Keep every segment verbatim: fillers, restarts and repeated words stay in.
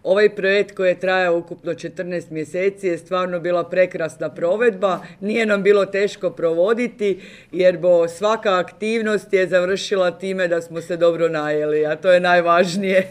Ovaj projekt koji je trajao ukupno četrnaest mjeseci je stvarno bila prekrasna provedba. Nije nam bilo teško provoditi jer bo svaka aktivnost je završila time da smo se dobro najeli, a to je najvažnije.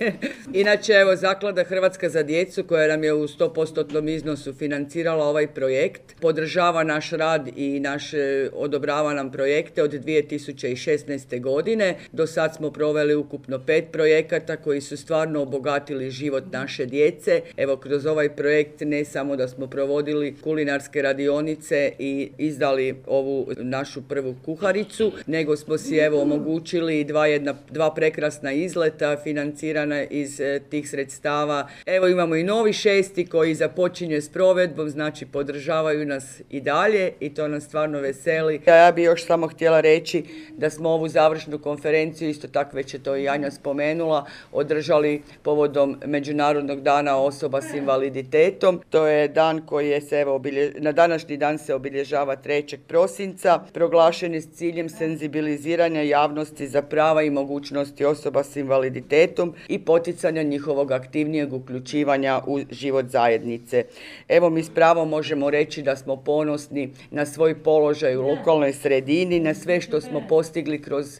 Inače, evo, Zaklada Hrvatska za djecu koja nam je u sto posto iznosu financirala ovaj projekt, podržava naš rad i naš odobrava nam projekte od dvije tisuće šesnaeste. godine. Do sad smo proveli ukupno pet projekata koji su stvarno obogatili život naše djece. Evo, kroz ovaj projekt ne samo da smo provodili kulinarske radionice i izdali ovu našu prvu kuharicu, nego smo si evo omogućili dva, jedna, dva prekrasna izleta financirana iz e, tih sredstava. Evo, imamo i novi šesti koji započinje s provedbom, znači podržavaju nas i dalje i to nas stvarno veseli. Ja bih još samo htjela reći da smo ovu završnu konferenciju, isto tako već je to i Anja spomenula, održali povodom Međunarodnog dana osoba s invaliditetom. To je dan koji je se, evo, obilje... na današnji dan se obilježava trećeg prosinca, proglašen je s ciljem senzibiliziranja javnosti za prava i mogućnosti osoba s invaliditetom i poticanja njihovog aktivnijeg uključivanja u život zajednice. Evo, mi s pravom možemo reći da smo ponosni na svoj položaj u lokalnoj sredini, na sve što smo postigli kroz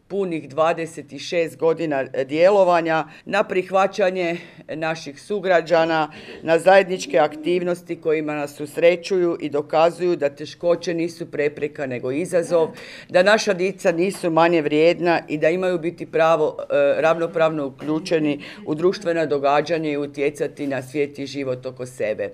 punih dvadeset šest godina djelovanja, na prihvaćanje naših sugrađana, na zajedničke aktivnosti kojima nas susrećuju i dokazuju da teškoće nisu prepreka nego izazov, da naša djeca nisu manje vrijedna i da imaju biti pravo ravnopravno uključeni u društvena događanja i utjecati na svijet i život oko sebe.